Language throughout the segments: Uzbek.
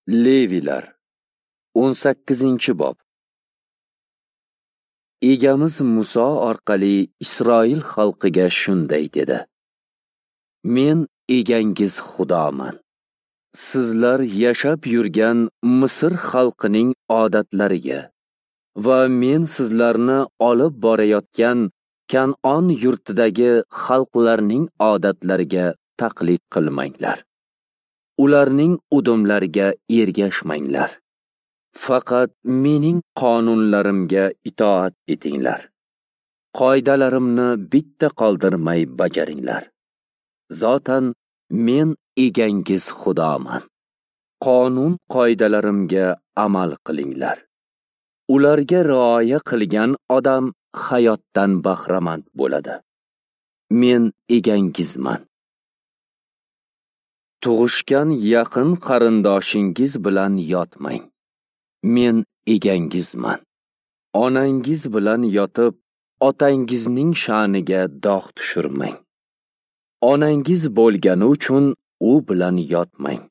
Levilar 18-bob. Egamiz Muso orqali Isroil xalqiga shunday dedi: Men egangiz Xudoman. Sizlar yashab yurgan Misr xalqining odatlariga va men sizlarni olib borayotgan Kan'on yurtidagi xalqlarning odatlariga taqlid qilmanglar. Ularning udumlariga ergashmanglar. Faqat mening qonunlarimga itoat etinglar. Qoidalarimni bitta qoldirmay bajaringlar. Zotan men egangiz Xudoman. Qonun qoidalarimga amal qilinglar. Ularga rioya qilgan odam hayotdan bahramand bo'ladi. Men egangizman. Tug'ishgan yaqin qarindoshingiz bilan yotmang. Men egangizman. Onangiz bilan yotib, otangizning sha'niga dog' tushirmang. Onangiz bo'lgani uchun u bilan yotmang.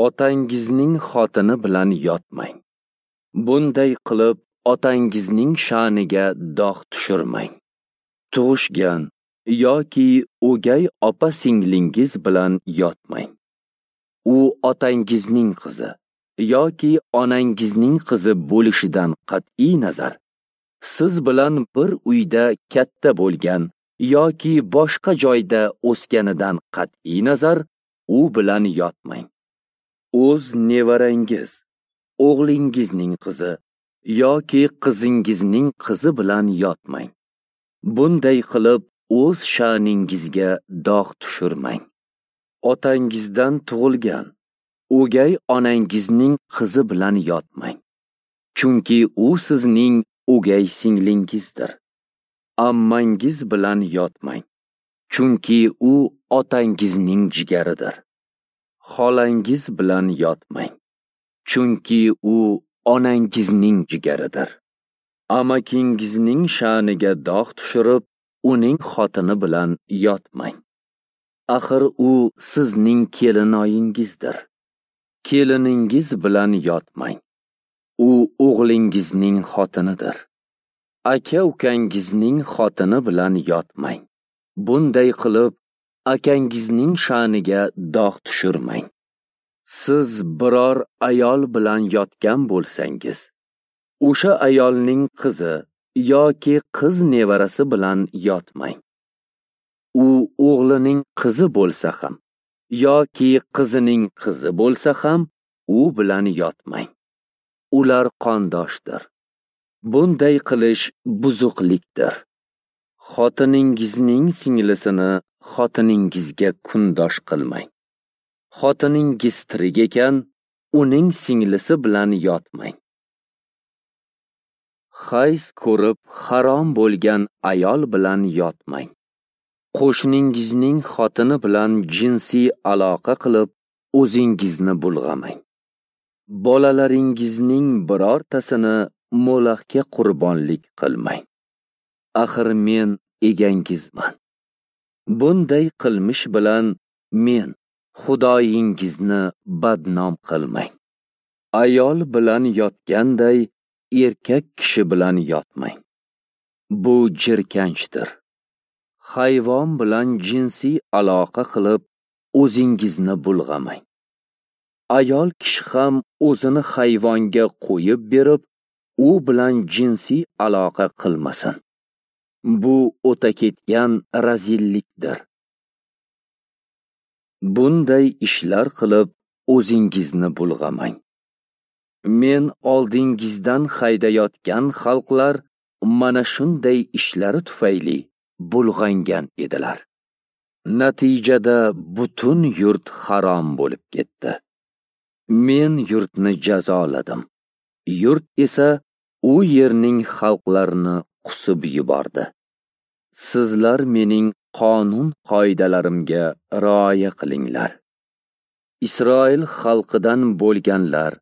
Otangizning xotini bilan yotmang. Bunday qilib otangizning sha'niga dog' tushirmang. Tug'ishgan yoki o'gay opa-singlingiz bilan yotmang. U otangizning qizi yoki onangizning qizi bo'lishidan qat'iy nazar, siz bilan bir uyda katta bo'lgan yoki boshqa joyda o'sganidan qat'iy nazar, u bilan yotmang. O'z nevarangiz, o'g'lingizning qizi yoki qizingizning qizi bilan yotmang. Bunday qilib o'z sha'ningizga dog' tushirmang. Otangizdan tug'ilgan o'gay onangizning qizi bilan yotmang, chunki u sizning o'gay singlingizdir. Ammangiz bilan yotmang, chunki u otangizning jigaridir. Xolangiz bilan yotmang, chunki u onangizning jigaridir. Amakingizning sha'niga dog' tushirib, uning xotini bilan yotmang. Axir u sizning kelinoyingizdir. Keliningiz bilan yotmang. U o'g'lingizning xotinidir. Aka-ukangizning xotini bilan yotmang. Bunday qilib akangizning sha'niga dog' tushirmang. Siz biror ayol bilan yotgan bo'lsangiz, o'sha ayolning qizi yoki qiz nevarasi bilan yotmang. U o'g'lining qizi bo'lsa ham yoki qizining qizi bo'lsa ham u bilan yotmang. Ular qondoshdir. Bunday qilish buzuqlikdir. Xotiningizning singlisini xotiningizga kundosh qilmang. Xotiningiz tirik ekan, uning singlisi bilan yotmang. Hayz ko'rib harom bo'lgan ayol bilan yotmang. Qo'shningizning xotini bilan jinsiy aloqa qilib, o'zingizni bulg'amang. Bolalaringizning birortasini Molaxga qurbonlik qilmang. Axir men egangizman. Bunday qilmish bilan men Xudoyingizni badnom qilmang. Ayol bilan yotganday erkak kishi bilan yotmang. Bu jirkanchdir. Hayvon bilan jinsiy aloqa qilib, o'zingizni bulg'amang. Ayol kishi ham o'zini hayvonga qo'yib berib, u bilan jinsiy aloqa qilmasin. Bu o'ta ketgan razillikdir. Bunday ishlar qilib, o'zingizni bulg'amang. Men oldingizdan haydayotgan xalqlar mana shunday ishlari tufayli bulg'angan edilar. Natijada butun yurt harom bo'lib ketdi. Men yurtni jazoladim. Yurt esa u yerning xalqlarini qusib yubordi. Sizlar mening qonun qoidalarimga rioya qilinglar. Isroil xalqidan bo'lganlar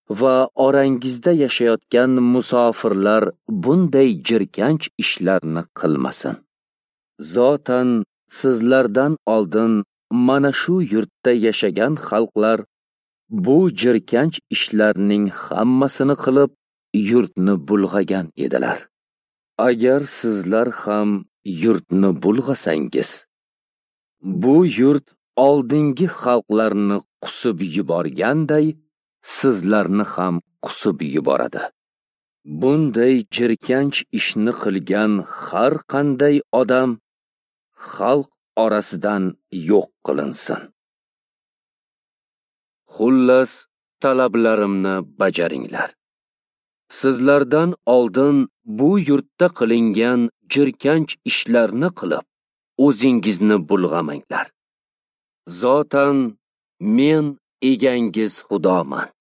va orangizda yashayotgan musofirlar bunday jirkanch ishlarni qilmasin. Zotan sizlardan oldin mana shu yurtda yashagan xalqlar bu jirkanch ishlarning hammasini qilib, yurtni bulg'agan edilar. Agar sizlar ham yurtni bulg'asangiz, bu yurt oldingi xalqlarni qusib yuborganday, sizlarni ham qusib yuboradi. Bunday jirkanch ishni qilgan har qanday odam xalq orasidan yo'q qilinsin. Xullas, talablarimni bajaringlar. Sizlardan oldin bu yurtda qilingan jirkanch ishlarni qilib, o'zingizni bulg'amanglar. Zotan men egangiz Xudoman.